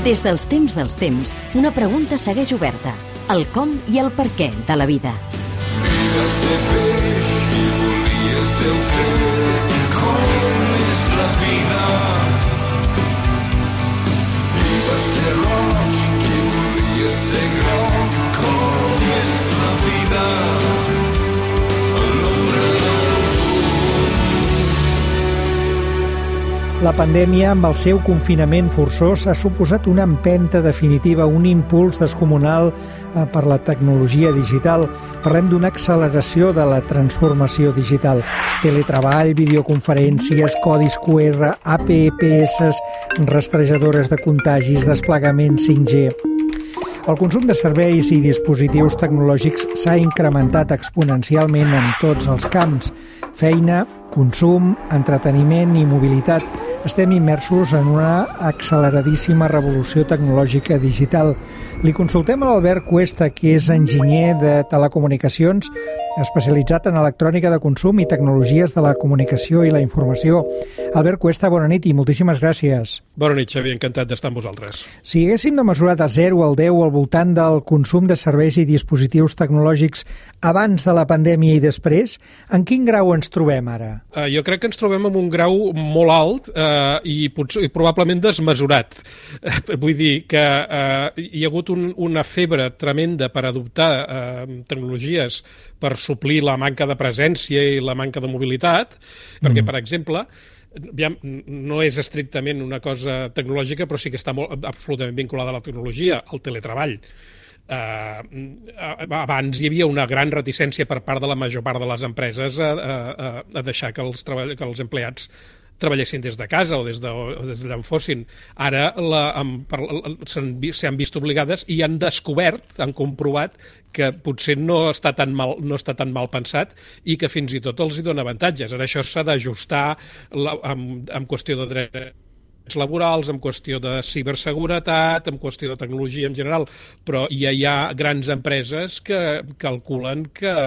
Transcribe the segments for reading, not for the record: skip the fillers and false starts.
Des dels temps, una pregunta segueix oberta. El com i el per què de la vida. Vida ser peix i volia ser oceà. Com és la vida? Vida ser roig i volia ser groc. Com és la vida? La pandèmia, amb el seu confinament forçós, ha suposat una empenta definitiva, un impuls descomunal per la tecnologia digital. Parlem d'una acceleració de la transformació digital. Teletreball, videoconferències, codis QR, APPs, rastrejadores de contagis, desplegament 5G... El consum de serveis i dispositius tecnològics s'ha incrementat exponencialment en tots els camps. Feina, consum, entreteniment i mobilitat. Estem immersos en una acceleradíssima revolució tecnològica digital. Li consultem a l'Albert Cuesta, que és enginyer de telecomunicacions, especialitzat en electrònica de consum i tecnologies de la comunicació i la informació. Albert Cuesta, bona nit i moltíssimes gràcies. Bona nit, Xavi, encantat d'estar amb vosaltres. Si haguéssim de mesurar de 0 al 10 al voltant del consum de serveis i dispositius tecnològics abans de la pandèmia i després, en quin grau ens trobem ara? Jo crec que ens trobem en un grau molt alt i probablement desmesurat. Vull dir que hi ha hagut una febre tremenda per adoptar tecnologies per suplir la manca de presència i la manca de mobilitat, perquè, per exemple, no és estrictament una cosa tecnològica, però sí que està absolutament vinculada a la tecnologia, al teletreball. Abans hi havia una gran reticència per part de la major part de les empreses a deixar que els empleats treballessin des de casa o des d'allà on fossin. Ara s'han vist obligades i han descobert, han comprovat que potser no està tan mal pensat i que fins i tot els hi dona avantatges. Ara això s'ha d'ajustar en qüestió de drets laborals, en qüestió de ciberseguretat, en qüestió de tecnologia en general, però ja hi ha grans empreses que calculen que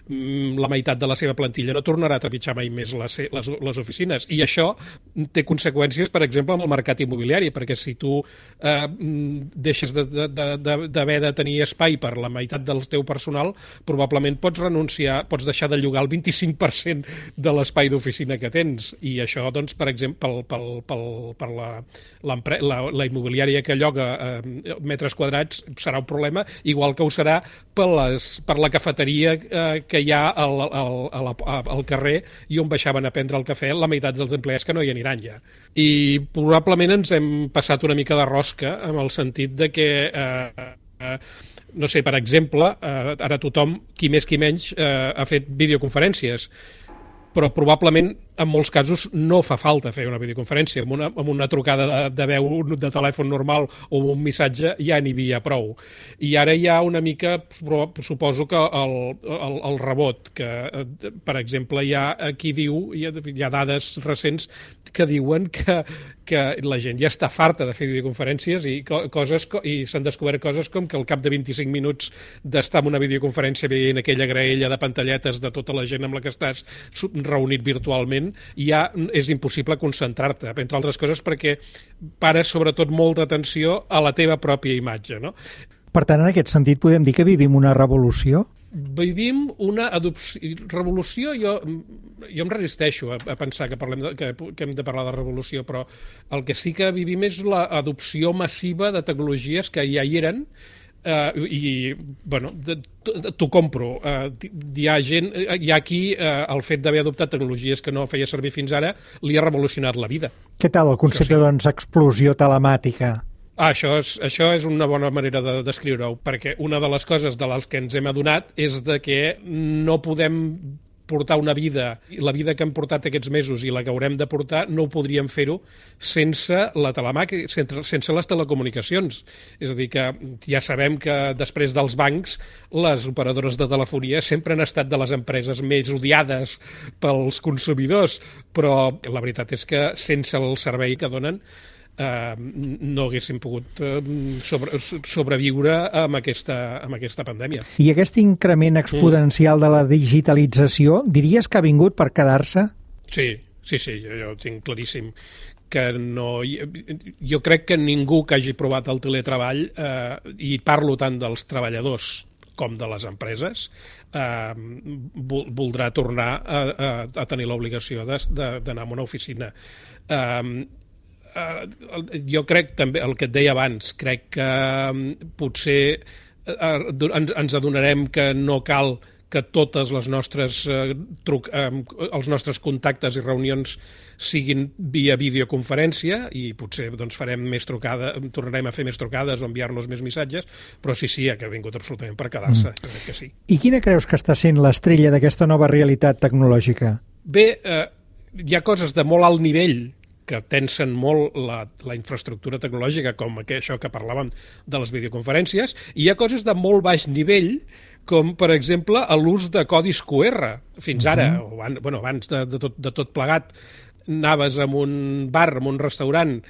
la meitat de la seva plantilla no tornarà a trepitjar mai més les oficines. I això té conseqüències, per exemple, amb el mercat immobiliari, perquè si tu deixes d'haver de tenir espai per la meitat del teu personal, probablement pots deixar de llogar el 25% de l'espai d'oficina que tens. I això, doncs, per exemple, per la immobiliària que lloga metres quadrats serà un problema, igual que ho serà per la cafeteria que hi ha al carrer i on baixaven a prendre el cafè la meitat dels empleats que no hi aniran ja. I probablement ens hem passat una mica de rosca en el sentit de que no sé, per exemple, ara tothom, qui més qui menys, ha fet videoconferències, però probablement en molts casos no fa falta fer una videoconferència. Amb una trucada de veu de telèfon normal o un missatge ja n'hi havia prou. I ara hi ha una mica, suposo que el rebot, que per exemple hi ha qui diu, hi ha dades recents que diuen que la gent ja està farta de fer videoconferències i s'han descobert coses com que al cap de 25 minuts d'estar en una videoconferència veient aquella graella de pantalletes de tota la gent amb la que estàs reunit virtualment, ja és impossible concentrar-te, entre altres coses perquè pares sobretot molta atenció a la teva pròpia imatge, no? Per tant, en aquest sentit, podem dir que vivim una revolució? Vivim una revolució. Jo em resisteixo a pensar que hem de parlar de revolució, però el que sí que vivim és l'adopció massiva de tecnologies que ja hi eren i, bueno, t'ho compro. Hi ha qui el fet d'haver adoptat tecnologies que no feia servir fins ara li ha revolucionat la vida. Què tal el concepte, doncs, explosió telemàtica? Això és una bona manera de descriure-ho, perquè una de les coses de les que ens hem adonat és de que no podem portar una vida, la vida que hem portat aquests mesos i la que haurem de portar, no ho podríem fer-ho sense la telemàquina, sense les telecomunicacions. És a dir, que ja sabem que després dels bancs, les operadores de telefonia sempre han estat de les empreses més odiades pels consumidors, però la veritat és que sense el servei que donen no haguéssim pogut sobreviure amb aquesta pandèmia. I aquest increment exponencial de la digitalització, diries que ha vingut per quedar-se? Sí, jo ho tinc claríssim. que no... Jo crec que ningú que hagi provat el teletreball, i parlo tant dels treballadors com de les empreses, voldrà tornar a tenir l'obligació d'anar a una oficina. Jo crec també, el que et deia abans, crec que potser ens adonarem que no cal que totes les nostres els nostres contactes i reunions siguin via videoconferència, i potser doncs farem més trucades, tornarem a fer més trucades o enviar-nos més missatges, però sí, que ha vingut absolutament per quedar-se, crec que sí. I quina creus que està sent l'estrella d'aquesta nova realitat tecnològica? Bé, hi ha coses de molt alt nivell que tensen molt la infraestructura tecnològica, com això que parlàvem de les videoconferències, i hi ha coses de molt baix nivell, com, per exemple, l'ús de codis QR. Fins ara, abans de tot plegat, anaves a un bar, a un restaurant,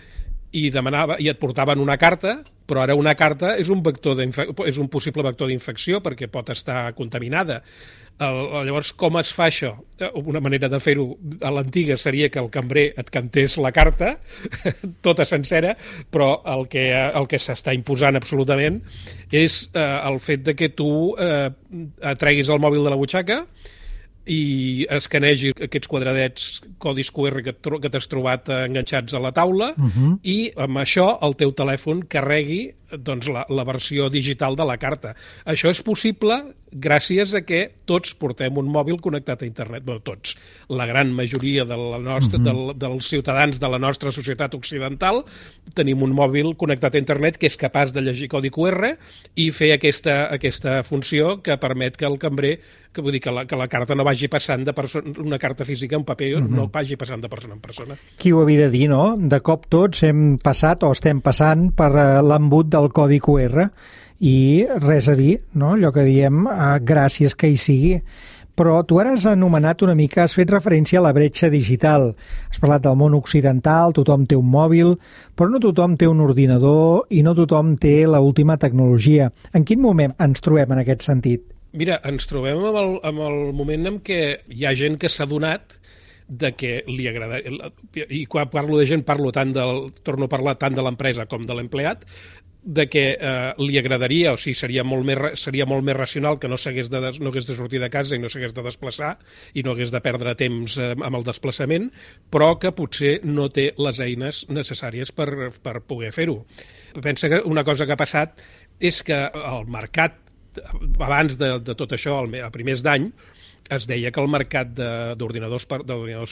i et portaven una carta, però ara una carta és un possible vector d'infecció perquè pot estar contaminada. Llavors, com es fa això? Una manera de fer-ho a l'antiga seria que el cambrer et cantés la carta, tota sencera, però el que s'està imposant absolutament és el fet de que tu treguis el mòbil de la butxaca i escanegis aquests quadradets, codis QR que t'has trobat enganxats a la taula, i amb això el teu telèfon carregui doncs, la versió digital de la carta. Això és possible gràcies a que tots portem un mòbil connectat a internet. Bé, tots. La gran majoria dels ciutadans de la nostra societat occidental tenim un mòbil connectat a internet que és capaç de llegir codi QR i fer aquesta funció que permet que el cambrer, que vull dir que la carta no vagi passant de persona, una carta física en paper no vagi passant de persona en persona. Qui ho havia de dir, no? De cop tots hem passat o estem passant per l'embut del codi QR i res a dir, no? Allò que diem, gràcies que hi sigui. Però tu ara has anomenat una mica, has fet referència a la bretxa digital. Has parlat del món occidental, tothom té un mòbil, però no tothom té un ordinador i no tothom té l'última tecnologia. En quin moment ens trobem en aquest sentit? Mira, ens trobem amb el moment en què hi ha gent que s'ha adonat de que li agrada, i quan parlo de gent torno a parlar tant de l'empresa com de l'empleat, de que li agradaria, o sigui, seria molt més racional que no hagués de sortir de casa i no s'hagués de desplaçar i no hagués de perdre temps amb el desplaçament, però que potser no té les eines necessàries per poder fer-ho. Pensa que una cosa que ha passat és que el mercat, abans de tot això, a primers d'any, es deia que el mercat d'ordinadors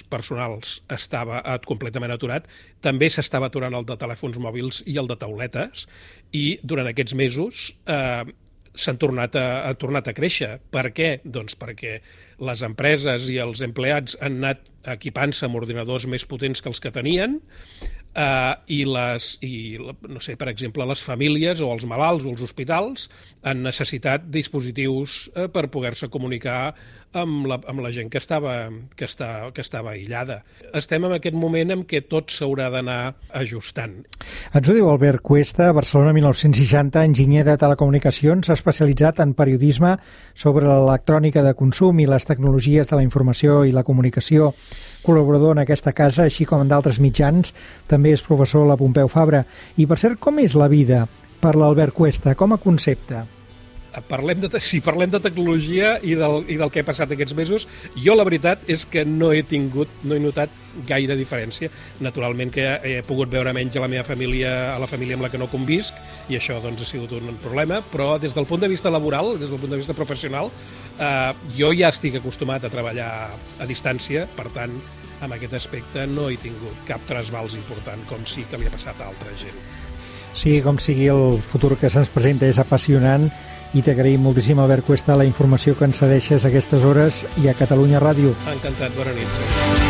personals estava completament aturat. També s'estava aturant el de telèfons mòbils i el de tauletes, i durant aquests mesos s'han tornat a créixer. Per què? Doncs perquè les empreses i els empleats han anat equipant-se amb ordinadors més potents que els que tenien, no sé, per exemple, les famílies o els malalts o els hospitals han necessitat dispositius per poder-se comunicar amb la gent que estava aïllada. Estem en aquest moment en què tot s'haurà d'anar ajustant. Ens ho diu Albert Cuesta, Barcelona 1960, enginyer de telecomunicacions, especialitzat en periodisme sobre l'electrònica de consum i les tecnologies de la informació i la comunicació, col·laborador en aquesta casa, així com en d'altres mitjans. També és professor a la Pompeu Fabra. I, per cert, com és la vida per l'Albert Cuesta, com a concepte? Si parlem de tecnologia i del que ha passat aquests mesos, jo la veritat és que no he notat gaire diferència. Naturalment que he pogut veure menys a la família amb la que no convisc, i això doncs, ha sigut un problema, però des del punt de vista laboral, des del punt de vista professional, jo ja estic acostumat a treballar a distància, per tant, en aquest aspecte no he tingut cap trasbals important, com sí que li ha passat a altra gent. Sí, com sigui, el futur que se'ns presenta és apassionant, i t'agraïm moltíssim, Albert Cuesta, la informació que ens cedeixes a aquestes hores i a Catalunya Ràdio. Encantat, bona nit.